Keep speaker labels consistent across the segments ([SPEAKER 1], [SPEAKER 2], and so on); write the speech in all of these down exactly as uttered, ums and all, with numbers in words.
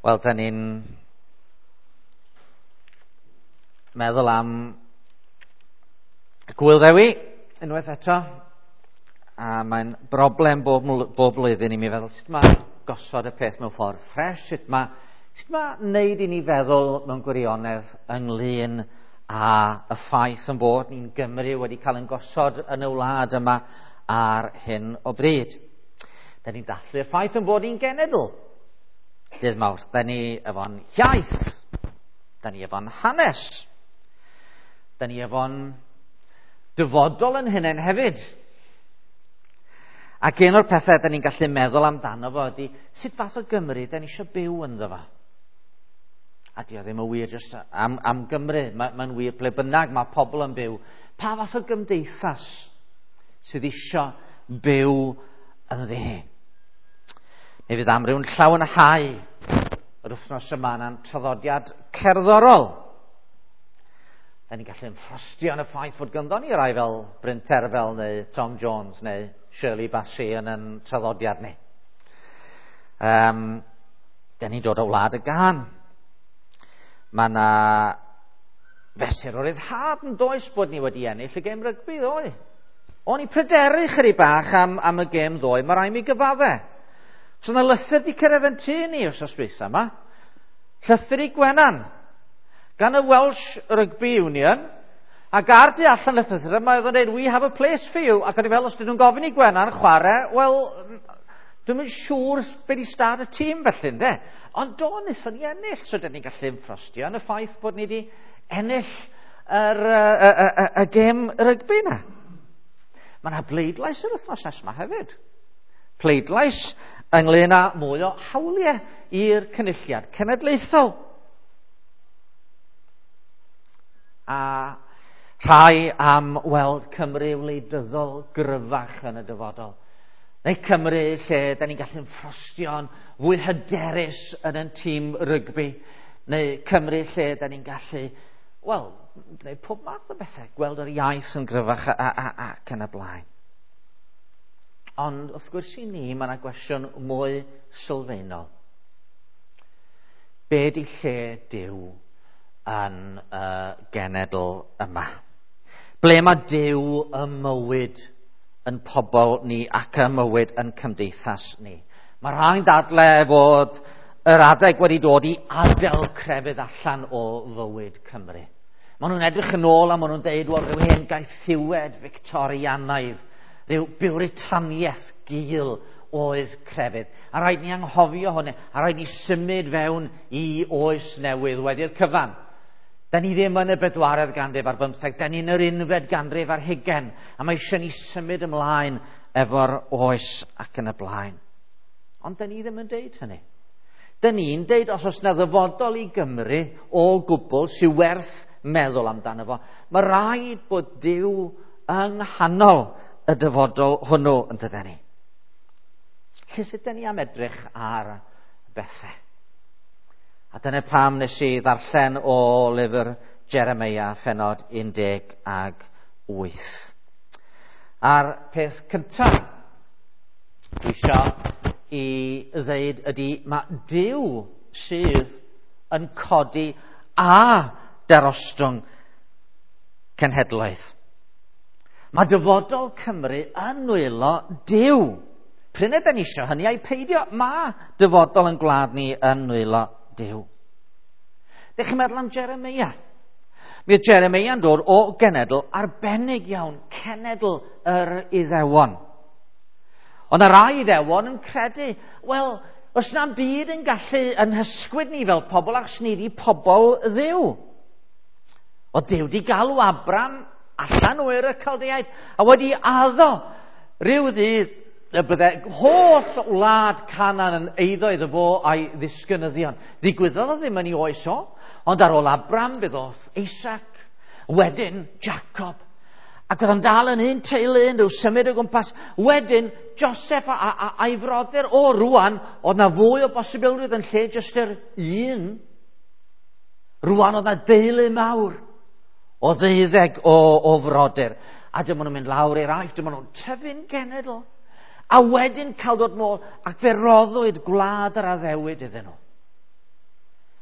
[SPEAKER 1] Wel, da ni'n meddwl am Gŵyl Ddewi unwaith eto, a mae'n broblem bob, bob blwyddyn i mi feddwl sut mae gosod y peth mewn ffordd ffres, sut mae, sut mae wneud i ni feddwl mewn gwirionedd ynglyn â y ffaith yn bod ni'n Gymru wedi cael ein gosod yn y wlad yma ar hyn o bryd. Da ni'n dathlu'r ffaith yn bod ni'n genedl. Dydd Mawrth, da ni efo'n iaith, da ni efo'n hanes, da ni efo'n dyfodol yn hunain hefyd. Ac un o'r pethau da ni'n gallu meddwl amdano fo ydy sut fath o Gymru da ni eisiau byw ynddo fo. A di o ddim yn wir jyst am, am Gymru, mae'n ma wir ble bynnag mae pobl yn byw. Pa fath o gymdeithas sydd eisiau byw ynddi hi? Mi fydd amryw'n llawenhau yr wythnos yma na'n traddodiad cerddorol. Da ni'n gallu ymffrostio yn y ffaith fod ganddo ni rai fel Bryn Terfel neu Tom Jones neu Shirley Bassey yn yn traddodiad ni. Um, da ni'n dod o wlad y gân. Mae yna fesur o ryddhad yn does bod ni wedi ennill y gêm rygbi ddoe. O'n i pryderu chydig bach am, am y gêm ddoe, mae rhaid mi gyfadde. So yna lythyr di cyrraedd yn tŷ ni wrth dwytha yma. Llythyr i Gwenan gan y Welsh Rugby Union, ac ar du allan y llythyr yma oedd o'n dweud, "We have a place for you." Ac o'n i fel, os dyn nhw'n gofyn i Gwenan chwarae, wel, dwi'm yn siŵr be di stad y tîm felly, ynde? Ond do, wnaethon ni ennill, so dyn ni'n gallu ymffrostio yn y ffaith bod ni wedi ennill yr, y, y, y, y gêm rygbi yna. Mae yna bleidlais yr wythnos nesaf yma hefyd. Pleidlais ynglyn â mwy o hawliau i'r cynulliad cenedlaethol. A rhai am weld Cymru wleidyddol gryfach yn y dyfodol. Neu Cymru lle da ni'n gallu ymffrostio'n fwy hyderus yn ein tîm rygbi. Neu Cymru lle da ni'n gallu, wel, gwneud pob math o bethau, gweld yr iaith yn gryfach a, a, a, ac yn y blaen. Ond wrth gwrs i ni, mae yna gwestiwn mwy sylfaenol. Be di lle Duw yn y genedl yma? Ble mae Duw ym mywyd yn pobl ni ac ym mywyd yn cymdeithas ni? Mae rhai'n dadle fod yr adeg wedi dod i adael crefydd allan o fywyd Cymru. Maen nhw'n edrych yn ôl a maen nhw'n deud, wel, rhyw hen gaethiwed Victorianaidd, rhyw Biwritaniaeth gul oedd crefydd. A rhaid ni anghofio hwnna, a rhaid ni symud fewn i oes newydd wedi'r cyfan. Da ni ddim yn y bedwaredd ganrif ar bymtheg, da ni yn yr unfed ganrif ar hugain, a mae eisiau ni symud ymlaen efo'r oes ac yn y blaen. Ond da ni ddim yn deud hynny. Da ni'n deud os oes na ddyfodol i Gymru o gwbl sy'n werth meddwl amdano fo, mae rhaid bod Duw yng nghanol y dyfodol hwnnw yn dydyn ni. Lle sut dyn ni am edrych ar bethau? A dyna pam nes i ddarllen o lyfr Jeremia, phennod un deg ag wyth. A'r peth cyntaf dwi eisiau i ddeud ydy mae Duw sydd yn codi a darostwng cenhedloedd. Mae dyfodol Cymru yn nwylo Duw. Prin ydan ni eisiau hynny a'i peidio, mae dyfodol yn gwlad ni yn nwylo Duw. Dych chi'n meddwl am Jeremia? Mi oedd Jeremia'n dod o genedl arbennig iawn, cenedl yr Iddewon. Ond y rai Iddewon yn credu, wel, os na'n byd yn gallu yn hysgwyd ni fel pobl, achos ni di pobl Dduw. O Duw di galw Abram allan o Ur y Chaldeaid, a wedi addo rhyw ddydd y bydde holl wlad Canaan yn eiddo iddo fo a'i ddisgynyddion. Ddigwyddodd o ddim yn ei oes o, ond ar ôl Abram fe ddoth Isaac, wedyn Jacob, ac oedd yn dal yn un teulu yn rhyw symud o gwmpas. Wedyn Joseph a, a, a, a'i frodyr o rwan, oedd na fwy o bosibilrwydd yn lle jyst yr un. Rwan oedd na deulu mawr o ddeuddeg o, o frodyr. A dyma nhw'n mynd lawr i'r Aifft, dyma nhw'n tyfu'n genedl. A wedyn cael dod nôl, ac fe roddwyd gwlad yr addewid iddyn nhw.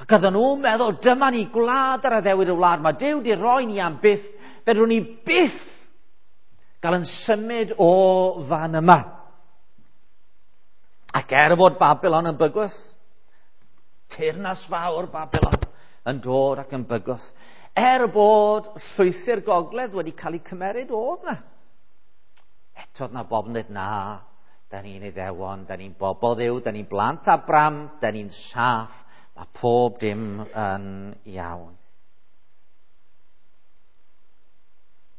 [SPEAKER 1] Ac oedden nhw'n meddwl, dyma ni gwlad ar addewid y wlad, mae Duw di roi ni am byth, fedrwn ni byth gael yn symud o fan yma. Ac er fod Babylon yn bygwth, teyrnas fawr Babylon yn dod ac yn bygwth, er bod llwythi'r gogledd wedi cael eu cymeryd, oedd na. Eto oedd na bobl yn dweud, na, da ni'n Iddewon, da ni'n bobl Dduw, da ni'n blant Abram, da ni'n saff, mae pob dim yn iawn.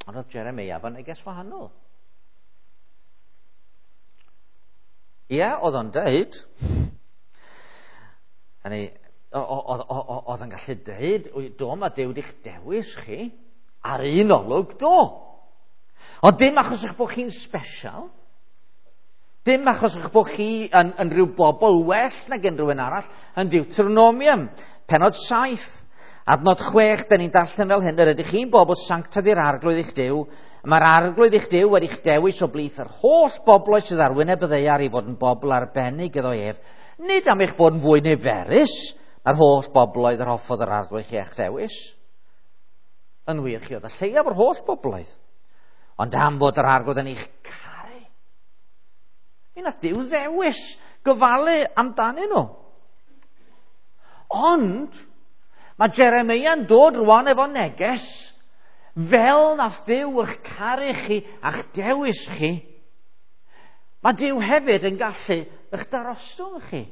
[SPEAKER 1] Ond oedd Jeremia efo neges wahanol. Ie, oedd o'n deud, hynny, oedd o'n gallu deud, do, mae Duw di'ch dewis chi, ar un olwg, do. Ond dim achos eich bod chi'n special, dim achos eich bod chi yn, yn rhyw bobl well nag unrhyw un arall, yn Deuteronomium, penod saith, adnod chwech, da ni'n darllen fel hyn, yr ydych chi'n bobl sanctaidd i'r Arglwydd eich Duw, mae'r Arglwydd eich Duw wedi'ch dewis o blith yr holl bobloedd sydd ar wyneb y ddaear i fod yn bobl arbennig iddo ef, nid am eich bod yn fwy niferus na'r holl bobloedd yr hoffodd yr Arglwydd chi eich dewis. Yn wir, chi oedd y lleiaf o'r holl bobloedd, ond am fod yr Arglwydd yn eich caru. Mi nath Duw ddewis gofalu amdanyn nhw. Ond mae Jeremia yn dod rwan efo neges, fel nath Duw eich caru chi a'ch dewis chi, mae Duw hefyd yn gallu eich darostwng chi.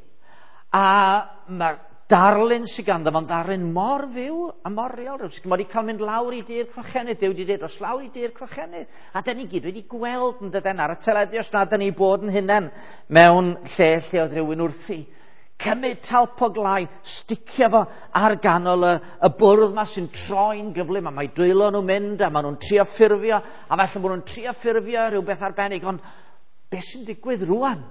[SPEAKER 1] A mae'r darlun sydd ganddo fo'n ddarlun mor fyw a mor real. Mae wedi cael mynd lawr i dir crochenydd. Duw wedi dweud, os lawr i dir crochenydd. A dyn ni gyd wedi gweld yn dydyn ar y teledu, os na dyn ni bod yn hunain mewn lle lle oedd rhywun wrthi. Cymryd talp o glai, sticio fo ar ganol y, y bwrdd ma sy'n troi'n gyflym, a mae dwylo nhw'n mynd, a maen nhw'n trio ffurfio, a falle bod nhw'n trio ffurfio rhywbeth arbennig, ond beth sy'n digwydd rwan?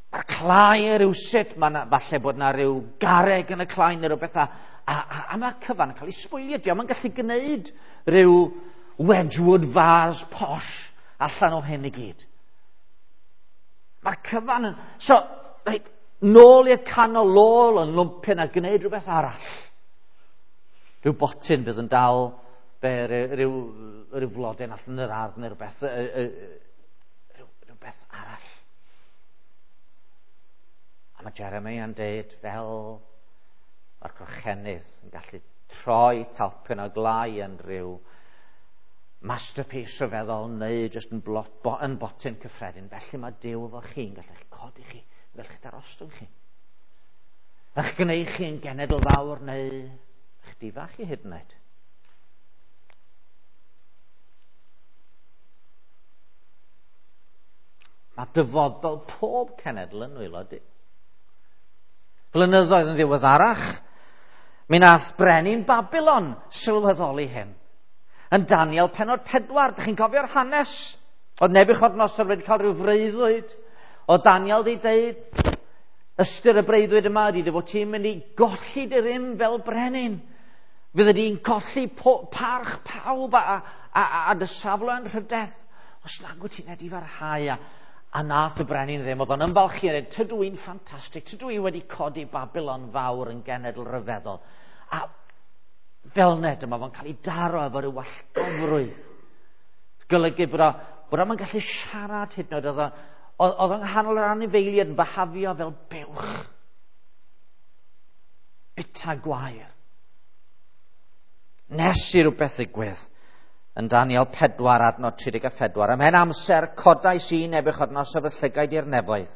[SPEAKER 1] Mae'r clai rhywsut, mae na, falle bod na rhyw garreg yn y clai neu rhywbeth, a, a, a, a mae'r cyfan yn cael ei sbwylio. Dio'm yn gallu gwneud rhyw Wedgwood vase posh allan o hyn i gyd. Mae'r cyfan yn... So, reit, nôl i'r canol, lôl yn lwmpyn a gwneud rhywbeth arall. Rhyw botyn bydd yn dal be, rhyw, rhyw flodyn allan yr ardd neu rhywbeth, rhyw, rhywbeth arall. A mae Jeremia yn deud, fel mae'r crochenydd yn gallu troi talpyn o glai yn rhyw masterpiece rhyfeddol neu jyst yn, blot, bo, yn botyn cyffredin. Felly mae Duw efo chi'n gallu eich codi chi, yn gallu darostwng chi. Eich gwneud chi yn genedl fawr neu eich difa chi hyd yn oed. Mae dyfodol pob cenedl yn nwylo Duw. Blynyddoedd yn ddiweddarach, mi nath brenin Babylon sylweddoli hyn. Yn Daniel penod pedwar, dych chi'n cofio'r hanes? Oedd Nebuchadnezzar wedi cael rhyw freuddwyd. Oedd Daniel wedi deud, ystyr y breuddwyd yma ydy dy fod ti'n mynd i golli dy rym fel brenin. Fyddi di'n colli parch pawb a, a, a, a dy safle yn rhydedd. Os nag wyt ti'n edifarhau a, a nath y brenin ddim, oedd o'n ymfalchio yn dweud, tydw i'n ffantastig, tydw i wedi codi Babylon fawr yn genedl ryfeddol. A fel ned yma, fo'n cael ei daro efo rhyw wallgofrwydd. Golygu bod o, bod o'n gallu siarad hyd yn oed, oedd oedd o'n nghanol yr anifeiliaid yn byhafio fel buwch. Bita gwair. Nes i rhywbeth ddigwydd. Yn Daniel pedwar, adnod tri deg a phedwar. Ymhen amser codais i Nebuchadnezzar fy llygaid i'r nefoedd,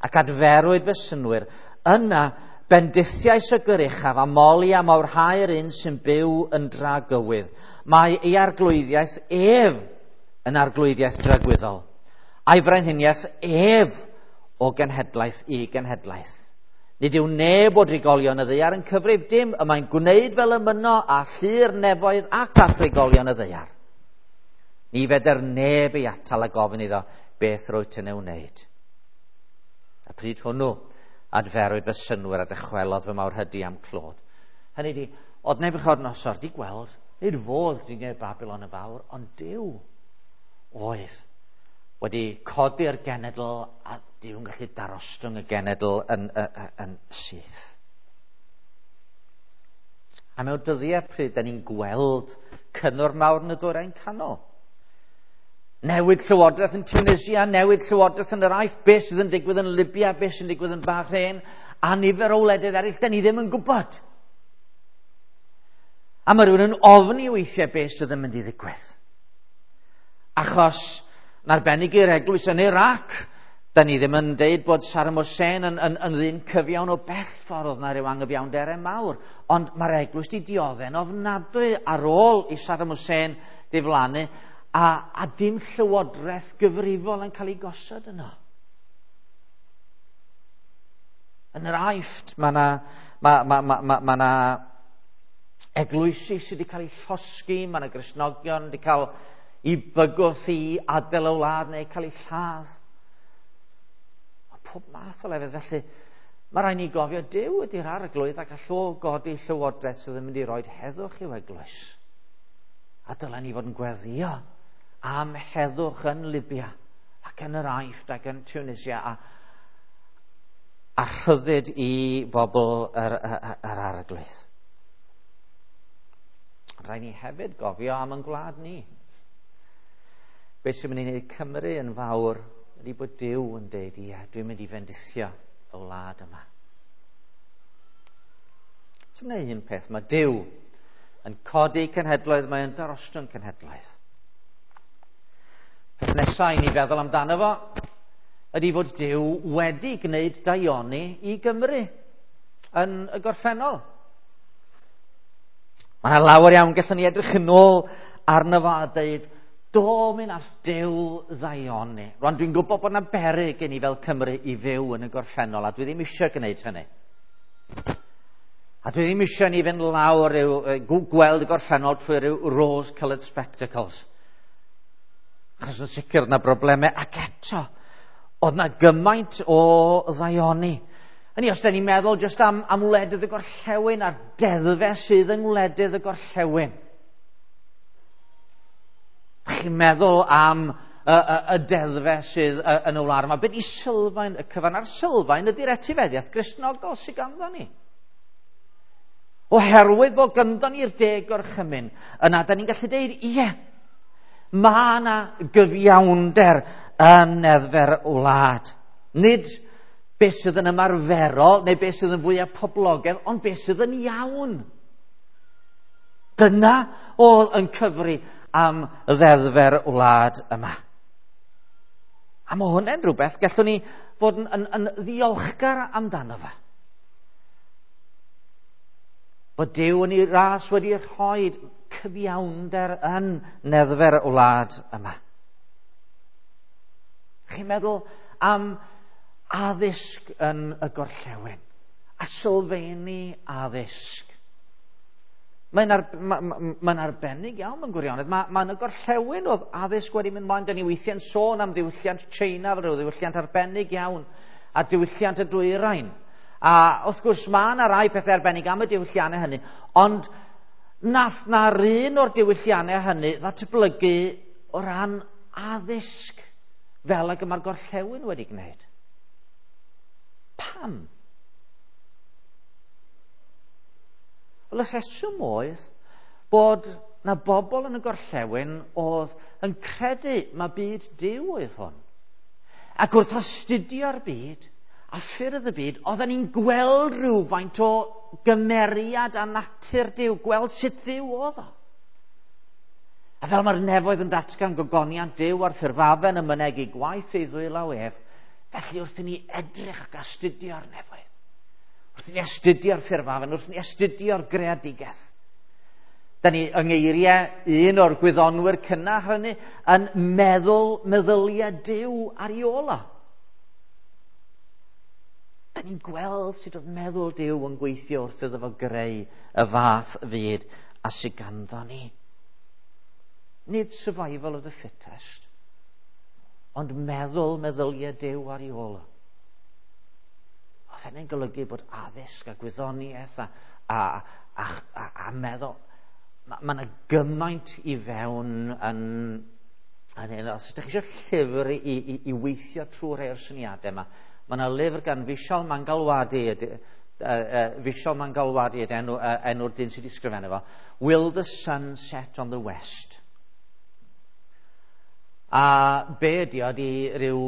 [SPEAKER 1] ac adferwyd fy synnwyr. Yna bendithiais y gyruchaf a moli a mawrhau'r un sy'n byw yn dragywydd. Mae ei arglwyddiaeth ef yn arglwyddiaeth dragwyddol, a'i frenhiniaeth ef o genhedlaeth i genhedlaeth. Nid yw neb o drigolion y ddaear yn cyfrif dim, y mae'n gwneud fel y myno a llu'r nefoedd ac a thrigolion y ddaear. Ni fedr neb ei atal a gofyn iddo beth rwyt yn ei wneud. A pryd hwnnw, adferwyd fy synnwyr a dychwelodd fy mawrhydi am clod. Hynny di, oedd Nebuchadnezzar di gweld, nid fodd di gwneud Babylon y fawr, ond Duw oedd wedi codi'r genedl a Duw yn gallu darostwng y genedl yn, yn, yn, yn syth. A mewn dyddiau pryd da ni'n gweld cynnwr mawr yn y Dwyrain Canol. Newid llywodraeth yn Tunisia, newid llywodraeth yn yr Aifft, beth sydd yn digwydd yn Libya, beth sy'n digwydd yn Bahrain, a nifer o wledydd eraill, da ni ddim yn gwybod. A mae rhywun yn ofni weithiau beth sydd yn mynd i ddigwydd. Achos, yn arbennig i'r eglwys yn Iraq, da ni ddim yn deud bod Saddam Hussein yn, yn, yn ddyn cyfiawn o bell ffordd, oedd na ryw anghyfiawnderau mawr. Ond mae'r eglwys di dioddef'n ofnadwy ar ôl i Saddam Hussein ddiflannu, a, a dim llywodraeth gyfrifol yn cael ei gosod yno. Yn yr Aifft, mae yna ma, ma, ma, ma, ma na eglwysi sydd wedi cael eu llosgi, mae yna Gristnogion wedi cael eu bygwth i adael y wlad neu cael eu lladd. Mae pob math o lefydd felly. Mae rhaid ni gofio Duw ydy'r arglwydd ac all o godi llywodraeth sydd yn mynd i roi heddwch i'w eglwys. A dylen ni fod yn gweddïo am heddwch yn Libya ac yn yr Aifft ac yn Tunisia a, a rhyddid i bobl yr, yr, yr arglwydd. Rhaid ni hefyd gofio am ein gwlad ni. Beth sy'n mynd i wneud Cymru yn fawr ydy bod Duw yn deud, ie, dwi'n mynd i fendithio y wlad yma. Dyna un peth, mae Duw yn codi cenhedloedd, mae yn darostwng cenhedloedd. Peth nesaf i ni feddwl amdano fo ydy fod Duw wedi gwneud daioni i Gymru yn y gorffennol. Mae yna lawer iawn gallwn ni edrych yn ôl arno fo a dweud, do, mi nath Duw ddaioni. Rwan, dwi'n gwybod bod yna beryg gen i fel Cymru i fyw yn y gorffennol, a dwi ddim eisiau gwneud hynny. A dwi ddim eisiau ni fynd lawr i'w, gweld y gorffennol trwy ryw rose-coloured spectacles. Achos yn sicr yna broblemau, ac eto, oedd na gymaint o ddaioni. Hynny, os da ni'n meddwl jyst am, am wledydd y gorllewin a'r deddfau sydd yng ngwledydd y gorllewin. Chi'n meddwl am y, y, y deddfau sydd yn y wlad yma. Be di sylfaen y cyfan? A'r sylfaen ydy'r etifeddiaeth Gristnogol sydd ganddo ni. Oherwydd bod ganddo ni'r deg gorchymyn, yna da ni'n gallu deud, ie, mae yna gyfiawnder yn neddfau'r wlad. Nid beth sydd yn ymarferol neu beth sydd yn fwyaf poblogaidd, ond beth sydd yn iawn. Dyna oedd yn cyfri am ddeddfau'r wlad yma. A mae hwnna'n rhywbeth gallwn ni fod yn, yn, yn ddiolchgar amdano fe. Bod Duw yn ei ras wedi rhoi cyfiawnder yn neddfau'r wlad yma. Chi'n meddwl am addysg yn y gorllewin, a sylfaeni addysg. Mae'n ar, ma, ma, ma arbennig iawn mewn gwirionedd. Mae ma yn y gorllewin oedd addysg wedi mynd mlaen. Da ni weithiau'n sôn am ddiwylliant China, fel rhyw ddiwylliant arbennig iawn, a diwylliant y dwyrain. A wrth gwrs mae yna rai pethau arbennig am y diwylliannau hynny, ond nath na'r un o'r diwylliannau hynny ddatblygu o ran addysg fel ag y mae'r gorllewin wedi gwneud. Pam? Wel, y rheswm oedd bod na bobl yn y gorllewin oedd yn credu mae byd Duw oedd hwn. Ac wrth astudio'r byd a ffyrdd y byd, oedden ni'n gweld rhywfaint o gymeriad a natur Duw, gweld sut Dduw oedd o. A fel mae'r nefoedd yn datgan gogoniant Duw a'r ffurfafen yn mynegi gwaith ei ddwylaw ef, felly wrth i ni edrych ac astudio'r nefoedd, wrth i ni astudio'r ffurfafen, wrth i ni astudio'r greadigaeth, da ni yng ngeiriau un o'r gwyddonwyr cynnar hynny yn meddwl meddyliau Duw ar ei ôl o. Da ni'n gweld sut oedd meddwl Duw yn gweithio wrth iddo fo greu y fath fyd a sydd ganddo ni. Nid survival of the fittest, ond meddwl meddyliau Duw ar ei ôl o. Os hynny'n golygu bod addysg a gwyddoniaeth a, a, a, a, a meddwl, mae yna gymaint i fewn yn, yn hyn. Os ydych chi eisiau llyfr i, i, i weithio trwy rhai o'r syniadau yma, mae yna lyfr gan Vishal Mangalwadi, Uh, uh, Vishal Mangalwadi ydy enw, uh, enw'r dyn sydd wedi sgrifennu fo. Will the Sun Set on the West? A be ydy o, ydy rhyw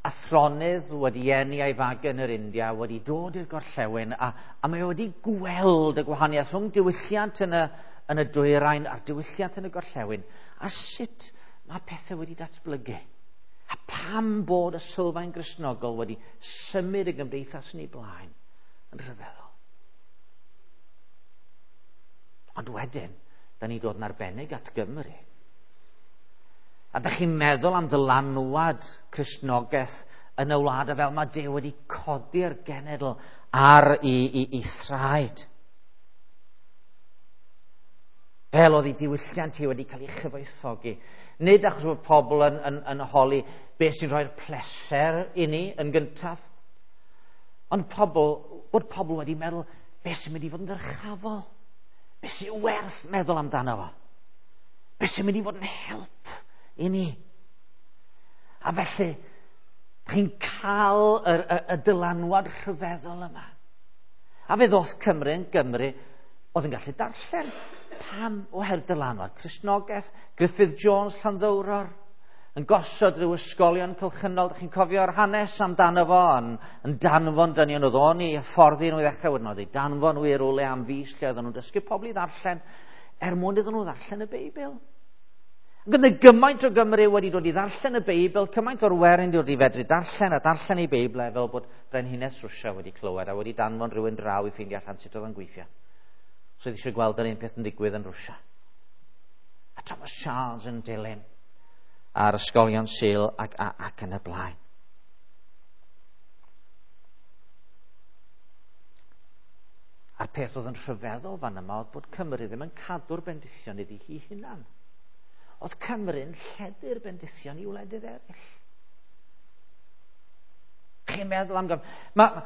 [SPEAKER 1] athronydd wedi eni a'i fagu yn yr India, wedi dod i'r gorllewin, a, a mae wedi gweld y gwahaniaeth rhwng diwylliant yn y, yn y dwyrain a'r diwylliant yn y gorllewin, a sut mae pethau wedi datblygu. A pam bod y sylfaen Gristnogol wedi symud y gymdeithas yn ei blaen yn rhyfeddol. Ond wedyn, da ni dod yn arbennig at Gymru. A da chi'n meddwl am ddylanwad Cristnogaeth yn y wlad, a fel mae Duw wedi codi'r genedl ar ei, ei, ei thraed. Fel oedd ei diwylliant hi wedi cael ei chyfoethogi. Nid achos bod pobl yn, yn, yn holi beth sy'n rhoi'r pleser i ni yn gyntaf, ond pobl, bod pobl wedi meddwl beth sy'n mynd i fod yn ddyrchafol, beth sy'n werth meddwl amdano fo, beth sy'n mynd i fod yn help i ni. A felly, chi'n cael y, y, y dylanwad rhyfeddol yma. A fe ddoth Cymru yn Gymru oedd yn gallu darllen. Pam? Oherwydd dylanwad Cristnogaeth, Griffith Jones Llanddowror, yn gosod rhyw ysgolion cylchynol, dych chi'n cofio'r hanes amdano fo, yn, yn danfon dynion, oedd o'n i hyfforddi nhw i ddechrau, wedyn oedd ei danfon nhw i rywle am fis lle oedden nhw'n dysgu pobl i ddarllen, er mwyn iddyn nhw ddarllen y Beibl. Ac oedd gymaint o Gymru wedi dod i ddarllen y Beibl, cymaint o'r werin dod i fedru darllen a darllen ei Beibl, fel bod Brenhines Rwsia wedi clywed a wedi danfon rhywun draw i ffeindio allan sut oedd o'n gweithio. So oedd eisiau gweld yr un peth yn digwydd yn Rwsia. A Thomas Charles yn dilyn a'r ysgolion Sul ac, ac, ac yn y blaen. A'r peth oedd yn rhyfeddol fan yma oedd bod Cymru ddim yn cadw'r bendithion iddi hi hunan. Oedd Cymru'n lledu'r bendithion i wledydd eraill. Chi'n meddwl am Gymru? Mae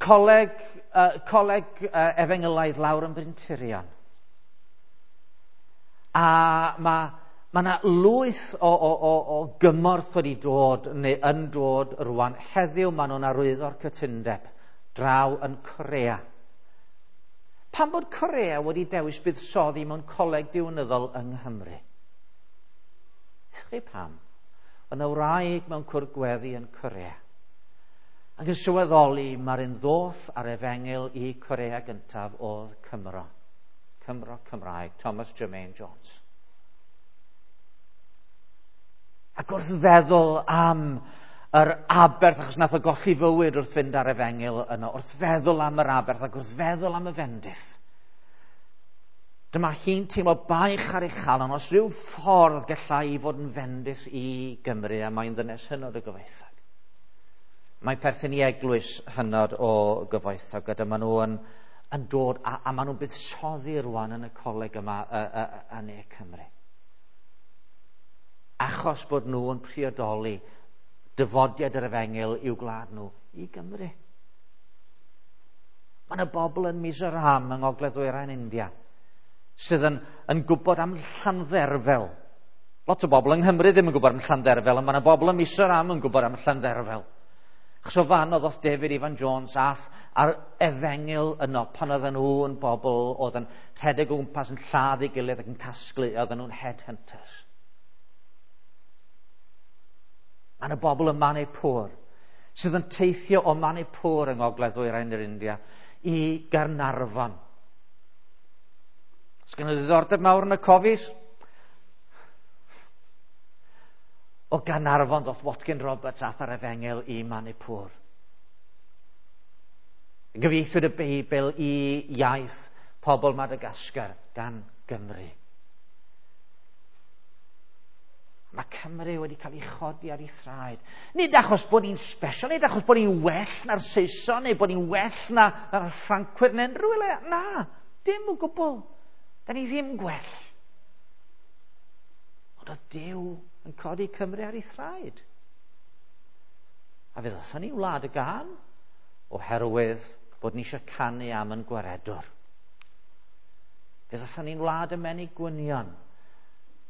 [SPEAKER 1] coleg, uh, coleg uh, efengylaidd lawr yn Bryntirion. A mae ma yna lwyth o, o, o, o gymorth wedi dod, neu yn dod rwan. Heddiw maen nhw'n arwyddo'r cytundeb draw yn Corea. Pam bod Corea wedi dewis buddsoddi mewn coleg diwinyddol yng Nghymru? Ysgri pam? Oedd yna wraig mewn cwrdd gweddi yn Corea. Ac yn sylweddoli mae'r un ddoth ar efengyl i Corea gyntaf oedd Cymro. Cymro Cymraeg, Thomas Jermaine Jones. Ac wrth feddwl am yr aberth, achos nath o golli fywyd wrth fynd ar efengyl yno, wrth feddwl am yr aberth ac wrth feddwl am y fendith, dyma hi'n teimlo baich ar ei chalon os rhyw ffordd gallai i fod yn fendith i Gymru, a mae'n ddynes hynod o gyfoethog. Mae perthyn i eglwys hynod o gyfoethog, a dyma nhw yn, yn dod, a, a maen nhw'n buddsoddi rwan yn y coleg yma yn Ne Cymru. Achos bod nhw yn priodoli dyfodiad yr efengyl i'w gwlad nhw i Gymru. Mae yna bobl yn Mizoram yng Ngogledd Ddwyrain India sydd yn, yn gwybod am Llandderfel. Lot o bobl yng Nghymru ddim yn gwybod am Llandderfel, ond mae yna bobl yn Mizoram yn gwybod am Llandderfel. Achos o fan oedd oedd David Ifan Jones ath a'r efengyl yno pan oedden nhw yn bobl oedd yn rhedeg o gwmpas yn lladd ei gilydd ac yn casglu, oedden nhw'n headhunters. Mae yna bobl yn Manipur sydd yn teithio o Manipur yng Ngogledd Ddwyrain yr India i Gaernarfon. Os gen i ddiddordeb mawr yn y cofis? O Gaernarfon ddoth Watkin Roberts ath ar efengyl i Manipur. Gyfieithwyd y Beibl i iaith pobl Madagascar gan Gymru. Mae Cymru wedi cael ei chodi ar ei thraed. Nid achos bod ni'n special, nid achos bod ni'n well na'r Saeson, neu bod ni'n well na, na'r Ffrancwyr neu unrhyw le. Na, dim o gwbl. Da ni ddim gwell. Ond oedd Duw yn codi Cymru ar ei thraed. A fe ddothon ni wlad y gân oherwydd bod ni eisiau canu am yn gwaredwr. Fe ddothon ni'n wlad y menig gwynion.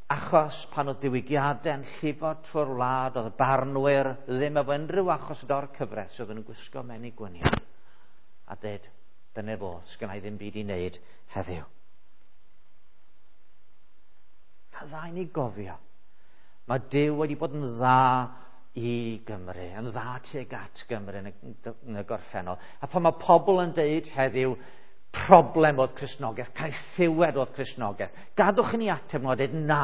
[SPEAKER 1] Achos pan oedd diwygiadau'n llifo trwy'r wlad, oedd y barnwyr ddim efo unrhyw achos o'r cyfres, oedd yn gwisgo menig gwynion. A dweud, dyna fo, sgynna i ddim byd i wneud heddiw. A dda i ni gofio. Mae Duw wedi bod yn dda i Gymru, yn dda tuag at Gymru yn y, yn y gorffennol. A pan mae pobl yn deud heddiw, problem oedd Cristnogaeth, caethiwed oedd Cristnogaeth, gadwch i ni ateb nhw a dweud na.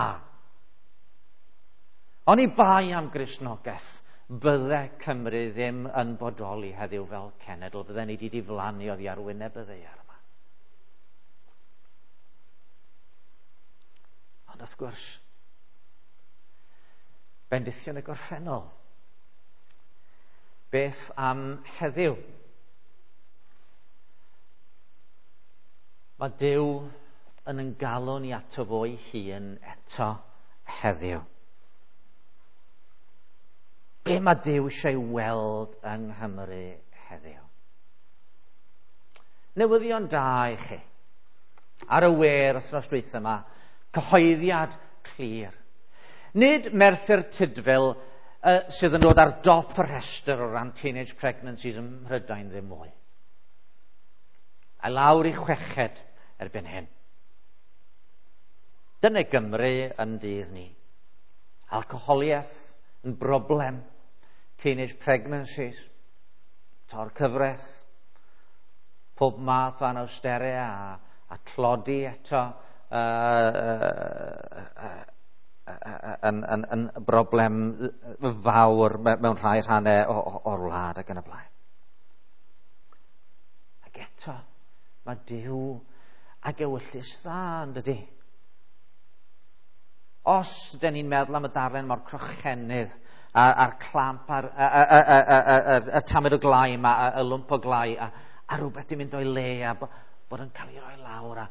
[SPEAKER 1] Oni bai am Gristnogaeth, bydde Cymru ddim yn bodoli heddiw fel cenedl, bydde ni wedi diflannu oddi ar wyneb y ddaear yma. Ond wrth gwrs, bendithion y gorffennol. Beth am heddiw? Mae Duw yn yn galw ni ato fo'i hun eto heddiw. Be mae Duw eisiau weld yng Nghymru heddiw? Newyddion da i chi. Ar y we'r wythnos dwytha yma, cyhoeddiad clir. Nid Merthyr Tudful uh, sydd yn dod ar dop y rhestr o ran teenage pregnancies ym Mhrydain ddim mwy. A lawr i chweched erbyn hyn. Dyna Gymru yn dydd ni. Alcoholiaeth yn broblem. Teenage pregnancies, tor cyfres, pob math o anawsterau a, a tlodi eto uh, uh, uh, uh, yn, yn, yn broblem fawr mewn rhai rhannau o'r wlad ac yn y blaen. Ac eto, mae Duw ag ewyllys dda, yn dydi? Os dyn ni'n meddwl am y darllen mor crochenydd a'r clamp a'r y tamed o glai yma, y lwmp o glai, a, a rhywbeth di mynd o'i le, a bod yn cael ei roi lawr. A...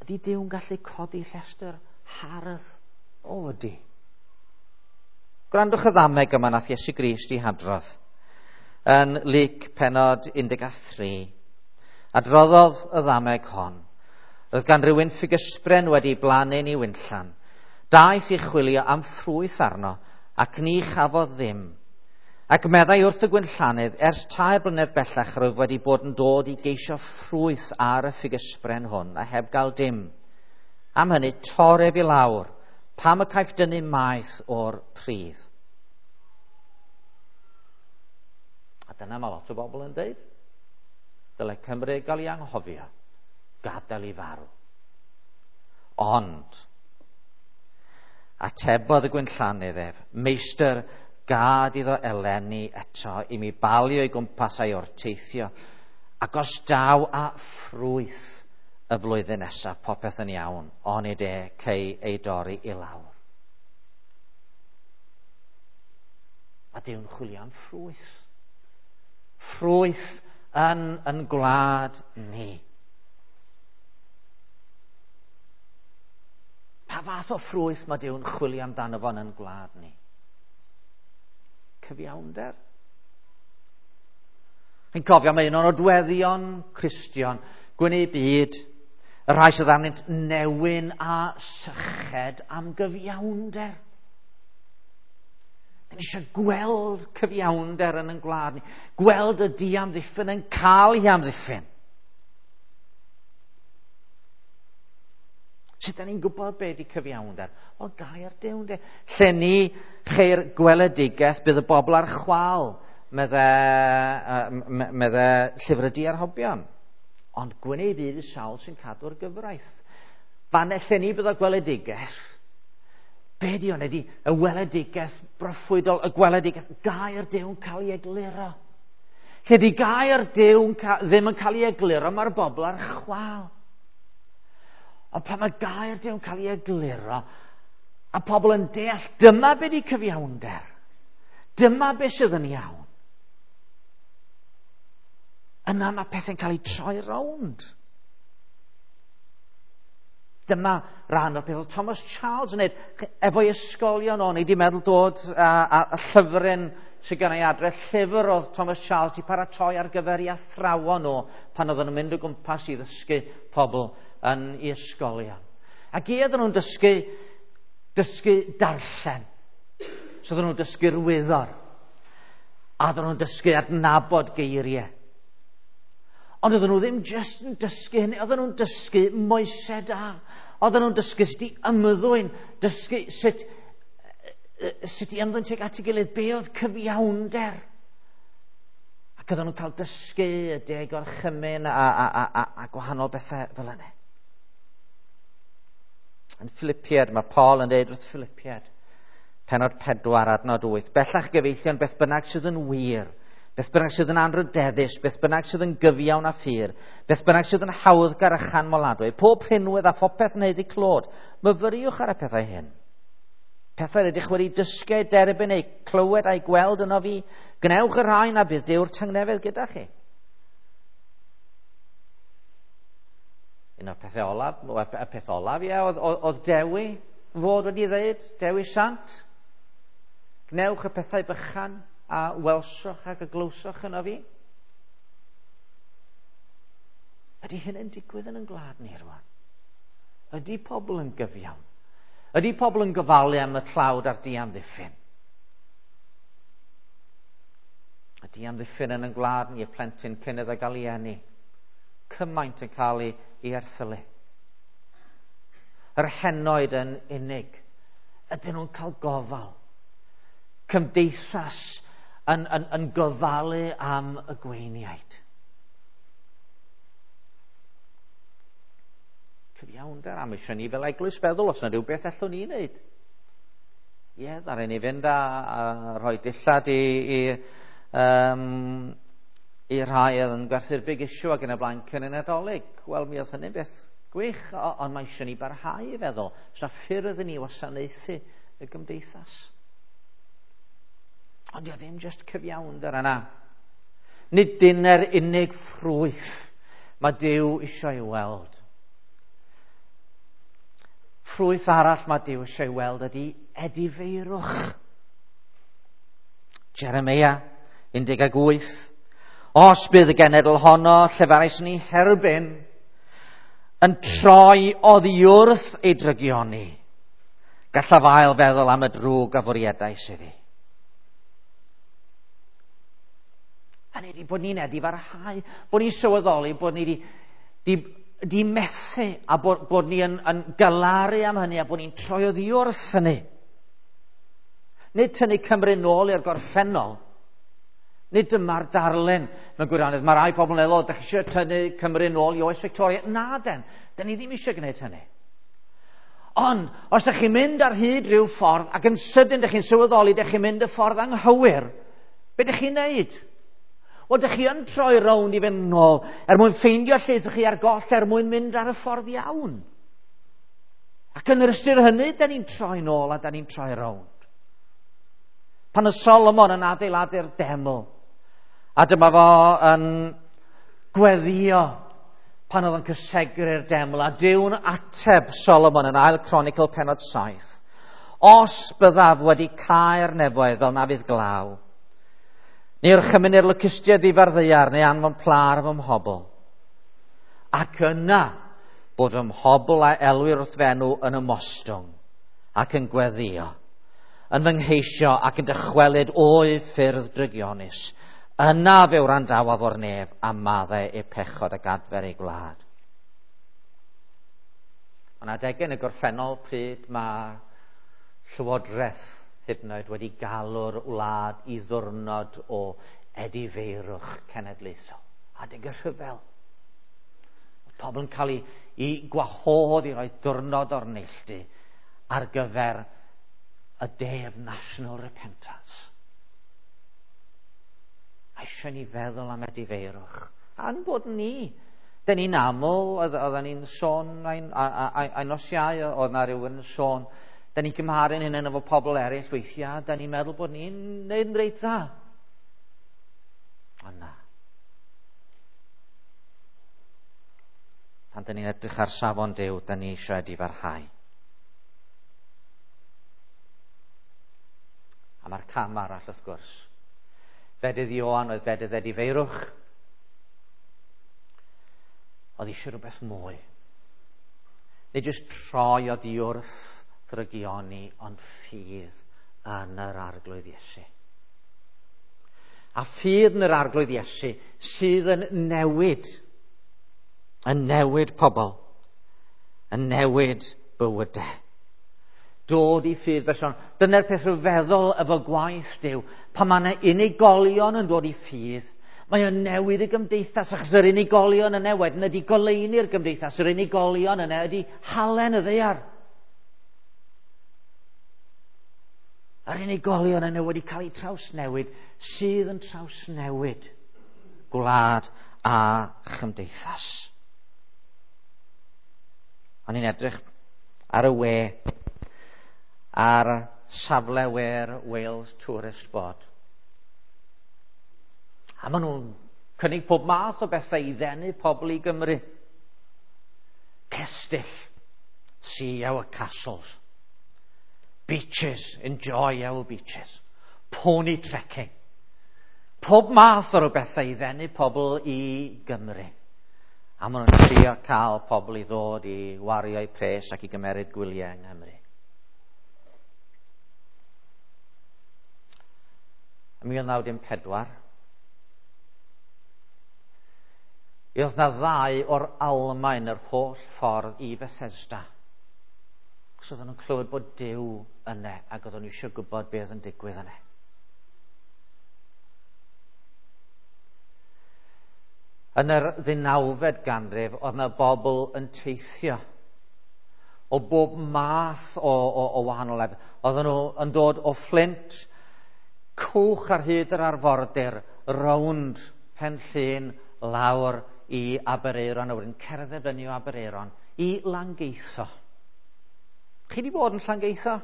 [SPEAKER 1] Ydy Duw'n gallu codi llestr hardd? O, ydy. Gwrandwch y ddameg yma nath Iesu Grist i hadrodd yn Luc pennod un deg tri. Adroddodd y ddameg hon. Roedd gan rywun ffigysbren wedi blannu'n ei winllan. Daeth i chwilio am ffrwyth arno, ac ni chafodd ddim. Ac meddai wrth y gwynllanydd, ers tair blynedd bellach rwyf wedi bod yn dod i geisio ffrwyth ar y ffigysbren hwn, a heb gael dim. Am hynny, tor ef i lawr, pam y caiff dynnu maeth o'r pridd. A dyna mae lot o bobl yn deud. Dyle Cymru gael ei anghofio, gadael i farw. Ond, atebodd y gwynllanydd ef, meistr, gad iddo eleni eto i mi balio i gwmpas a'i orteithio, ac os daw a ffrwyth y flwyddyn nesaf, popeth yn iawn, onid e cei ei dorri i lawr. Mae Duw'n chwilio am ffrwyth. Ffrwyth yn, yn gwlad ni. Pa fath o ffrwyth mae Duw'n chwilio amdano fo yn gwlad ni? Cyfiawnder. Chi'n cofio, mae un o'n nodweddion Cristion, gwneud byd, y rhai sydd arnynt newyn a syched am gyfiawnder. Dyn ni eisiau gweld cyfiawnder yn ein gwlad ni, gweld y diamddiffyn yn cael ei amddiffyn. Sut da ni'n gwybod be di cyfiawnder? O, gair Duw, de. Lle ni cheir gweledigaeth, bydd y bobl ar chwal, medde, medde llyfr y diarhobion. Ond gwneud byd y sawl sy'n cadw'r gyfraith. Fan lle ni bydd y gweledigaeth, be di hwn? Ydy y weledigaeth broffwydol, y gweledigaeth, gair Duw'n cael ei egluro. Lle di gair Duw ddim yn cael ei egluro, mae'r bobl ar chwal. Ond pan mae gair Duw'n cael ei egluro, a pobl yn deall, dyma be di cyfiawnder. Dyma be sydd yn iawn. Yna mae pethau'n cael eu troi rownd. Dyma rhan o'r peth oedd Thomas Charles yn neud efo'i ysgolion o'n i wedi meddwl dod a, a, a llyfryn sydd gen i adre, llyfr oedd Thomas Charles wedi paratoi ar gyfer ei athrawon nhw pan oedden nhw'n mynd o gwmpas i ddysgu pobl yn ei ysgolion. Ac i oedden nhw'n dysgu, dysgu darllen. So oedden nhw'n dysgu'r wyddor. A oedden nhw'n dysgu adnabod geiriau. Ond oedden nhw ddim jyst yn dysgu hynny, oedden nhw'n dysgu moesau da. Oedden nhw'n dysgu sut i ymddwyn, dysgu sut, sut i ymddwyn tuag at ei gilydd, be oedd cyfiawnder. Ac oedden nhw'n cael dysgu y deg orchymyn a, a, a, a, a gwahanol bethau fel yna. Yn Philippiad, mae Paul yn dweud wrth Philippiad, pennod pedwar adnod wyth, bellach gyfeillion beth bynnag sydd yn wir, beth bynnag sydd yn anrhydeddus, beth bynnag sydd yn gyfiawn a ffyr, beth bynnag sydd yn hawddgar a chanmoladwy, pob rhinwedd a phopeth yn haeddu clod, myfyriwch ar y pethau hyn. Pethau rydych wedi dysgu, derbyn eu clywed a'i gweld yno fi, gwnewch y rhain a bydd Duw'r tangnefedd gyda chi. Un o'r pethau olaf, y peth olaf, ie, oedd, oedd, oedd Dewi fod wedi dweud, Dewi Sant, gwnewch y pethau bychan a welsoch ac y glywsoch yno fi. Ydy hyn yn digwydd yn ein gwlad ni rwan? Ydy pobl yn gyfiawn? Ydy pobl yn gofalu am y tlawd a'r diamddiffyn? Y diamddiffyn yn ein gwlad ni, y plentyn cyn iddo gael ei eni. Cymaint yn cael ei, ei erthylu. Yr henoed yn unig. Ydyn nhw'n cael gofal? Cymdeithas yn, yn, yn gofalu am y gweiniaid. Cyfiawnder, am eisiau ni fel eglwys feddwl os yna rhywbeth allwn ni wneud. Ie, ddaru ni fynd a, a rhoi dillad i, i, um, i rhai oedd yn gwerthu'r big issue ac yn y blaen cyn y Nadolig. Wel, mi oedd hynny'n beth gwych, ond mae eisiau ni barhau i feddwl. Os yna ffyrdd i ni wasanaethu y gymdeithas. Ond dio ddim jyst cyfiawnder yna. Nid dyna'r unig ffrwyth mae Duw eisiau ei weld. Ffrwyth arall mae Duw eisiau ei weld ydy edifeirwch. Jeremia un deg wyth. Os bydd y genedl honno, llefarais ni herbyn, yn troi oddi wrth ei drygioni, gallaf ail feddwl am y drwg a fwriadais iddi. Hynny ydi bod ni'n edifarhau, bod ni'n sylweddoli bod ni di, di, di methu a bod, bod ni yn, yn galaru am hynny a bod ni'n troi oddi wrth hynny. Nid tynnu Cymru nôl i'r gorffennol. Nid dyma'r darlun mewn gwirionedd. Mae rai pobl yn meddwl, dach chi eisiau tynnu Cymru nôl i oes Victoria. Na den, den ni ddim eisiau gwneud hynny. Ond, os dach chi'n mynd ar hyd rhyw ffordd ac yn sydyn dach chi'n sylweddoli dach chi'n mynd y ffordd anghywir, be dach chi'n neud? Wel, dych chi yn troi rownd i fynd nôl er mwyn ffeindio lle ydych chi ar goll er mwyn mynd ar y ffordd iawn. Ac yn yr ystyr hynny, da ni'n troi nôl a da ni'n troi rownd. Pan oedd Solomon yn adeiladu'r deml, a dyma fo yn gweddio pan oedd yn cysegru'r deml, a Duw'n ateb Solomon yn Ail Cronicl pennod saith. Os byddaf wedi cau'r nefoedd fel na fydd glaw, neu orchymyn i'r locustiaid ddifa'r ddaear, neu anfon pla ar fy mhobl. Ac yna bod fy mhobl a elwir wrth fenw yn ymostwng ac yn gweddio, yn fy ngheisio ac yn dychwelyd o'i ffyrdd drygionus. Yna fe wrandawaf o'r nef a maddau eu pechod ac adfer eu gwlad. Ond adegau yn y gorffennol pryd mae Llywodraeth hyd yn oed wedi galw'r wlad i ddwrnod o edifeirwch cenedlaethol. Adeg y rhyfel. Oedd pobl yn cael ei, ei gwahodd i roi diwrnod o'r neilltu ar gyfer y Day of National Repentance. A eisiau ni feddwl am edifeirwch. A'n bod ni. Dyn ni'n aml, oedden ni'n sôn, a'i nos Iau, oedd na rhywun yn sôn, da ni'n cymharu'n hynny efo pobl eraill weithiau, da ni'n meddwl bod ni'n neud yn reit dda. Ond na. Pan da ni'n edrych ar safon Duw, da ni eisiau edifarhau. A mae'r cam arall wrth gwrs. Bedydd Ioan oedd bedydd edifeirwch. Oedd eisiau rhywbeth mwy. Nid jyst troi oddi wrth ddrygioni, ond ffydd yn yr Arglwydd Iesu. A ffydd yn yr Arglwydd Iesu sydd yn newid, yn newid pobl, yn newid bywydau. Dod i ffydd berson. Dyna'r peth rhyfeddol efo gwaith Duw. Pan mae yna unigolion yn dod i ffydd, mae o'n newid y gymdeithas, achos yr unigolion yna wedyn ydy goleuni'r gymdeithas, yr unigolion yna ydy halen y ddaear. Yr unigolion yna wedi cael eu trawsnewid, sydd yn trawsnewid gwlad a chymdeithas. O'n i'n edrych ar y we, ar safle we'r Wales Tourist Board. A maen nhw'n cynnig pob math o bethau i ddenu pobl i Gymru. Cestyll, see our castles. Beaches, enjoy our beaches. Pony trekking. Pob math o bethau i ddenu pobl i Gymru. A maen nhw'n trio cael pobl i ddod i wario eu pres ac i gymeryd gwyliau yng Nghymru. Ym mil naw dim pedwar, oedd na ddau o'r Almaen yr holl ffordd i Bethesda. Cos oedden nhw'n clywed bod Duw yna ac oedden nhw eisiau gwybod beth yn digwydd yna. Yn yr ddeunawfed ganrif, oedd yna bobl yn teithio o bob math o, o, o wahanol lefydd. Oedden nhw yn dod o Flint, cwch ar hyd yr arfordir, rownd Pen Llŷn, lawr i Aberaeron, a wedyn cerdded fyny o Aberaeron i Langeitho. Chi wedi bod yn Llangeitho?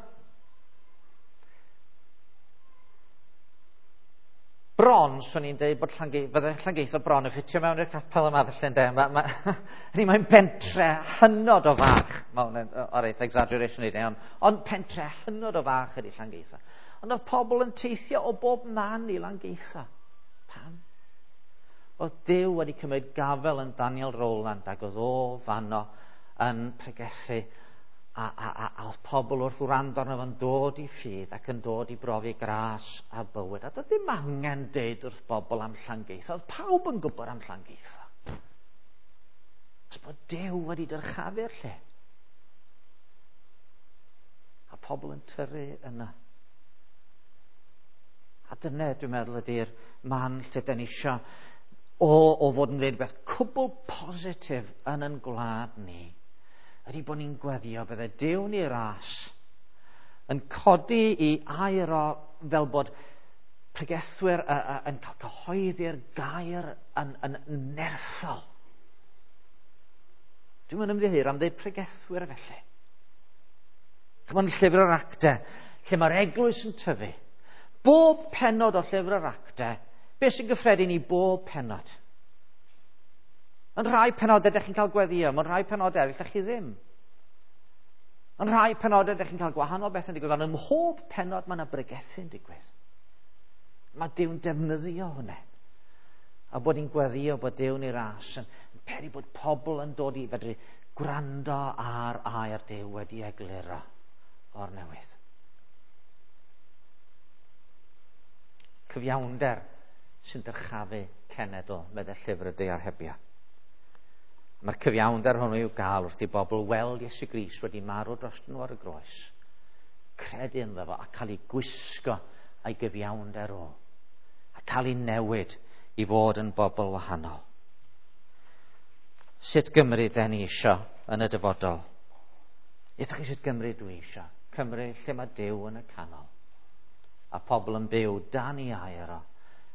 [SPEAKER 1] Bron, swn i'n dweud bod Llange, bydde Llangeitho bron yn ffitio mewn i'r capel yma felly ynde. Ma, ma, mae'n pentre hynod o fach. Mae hwn o'r eitha exaggeration i dweud, ond, ond pentre hynod o fach ydy Llangeitho. Ond oedd pobl yn teithio o bob man i Langeitho. Pam? Oedd Duw wedi cymryd gafel yn Daniel Rowland ac oedd o fanno yn pregethu a, a, a, a oedd pobl wrth wrando arno fo'n dod i ffydd ac yn dod i brofi gras a bywyd. A doedd ddim angen deud wrth bobl am Llangeitho. Oedd pawb yn gwybod am Llangeitho. Os bod Duw wedi dyrchafu'r lle. A pobl yn tyrru yna. A dyna, dwi'n meddwl, ydy'r man lle dan ni isio o, o fod yn dweud beth cwbl positif yn yn gwlad ni, ydy bod ni'n gweddio bydde Duw ni ras yn codi i air o fel bod pregethwyr uh, uh, yn cael cyhoeddi'r gair yn, yn nerthol. Dwi'n mynd ymddiheuro am dweud pregethwyr felly. Chymod, llyfr yr Actau, lle mae'r eglwys yn tyfu. Bob pennod o llyfr yr Actau, beth sy'n gyffredin i bob pennod? Yn rhai penodau ydych chi'n cael gweddio, mewn rhai penodau eraill ydych chi ddim. Yn rhai penodau ydych chi'n cael gwahanol beth yn digwydd, ond ym mhob pennod mae yna bregethu'n digwydd. Mae Duw'n defnyddio hwnna. A bod ni'n gweddio bod Duw'n ei ras yn peri bod pobl yn dod i fedru gwrando ar air Duw wedi egluro o'r newydd. Cyfiawnder sy'n dyrchafu cenedl, meddai llyfr y Diarhebion. Mae'r cyfiawnder hwnnw i'w gael wrth i bobl weld Iesu Grist wedi marw dros nhw ar y groes, credu ynddo fo a cael ei gwisgo a'i gyfiawnder o, a cael ei newid i fod yn bobl wahanol. Sut Gymru den ni isio yn y dyfodol? Ydych chi sut Gymru dwi isio? Cymru lle mae Duw yn y canol, a pobl yn byw dan ei air o,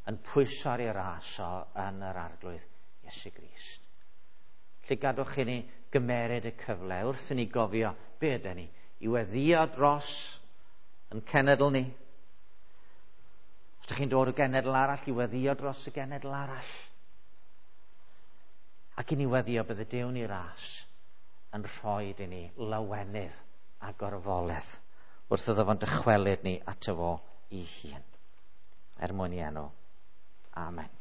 [SPEAKER 1] yn pwyso ar ei ras o yn yr Arglwydd Iesu Grist. Lle gadwch i ni gymeryd y cyfle wrth i ni gofio be ydyn ni i weddio dros yn cenedl ni. Os ydych chi'n dod o genedl arall, i weddio dros y genedl arall. Ac i ni weddio bydde Duw ni ras yn rhoi i ni lawenydd a gorfoledd wrth iddo fo'n dychwelyd ni ato fo ei hun. Er mwyn i enw. Amen.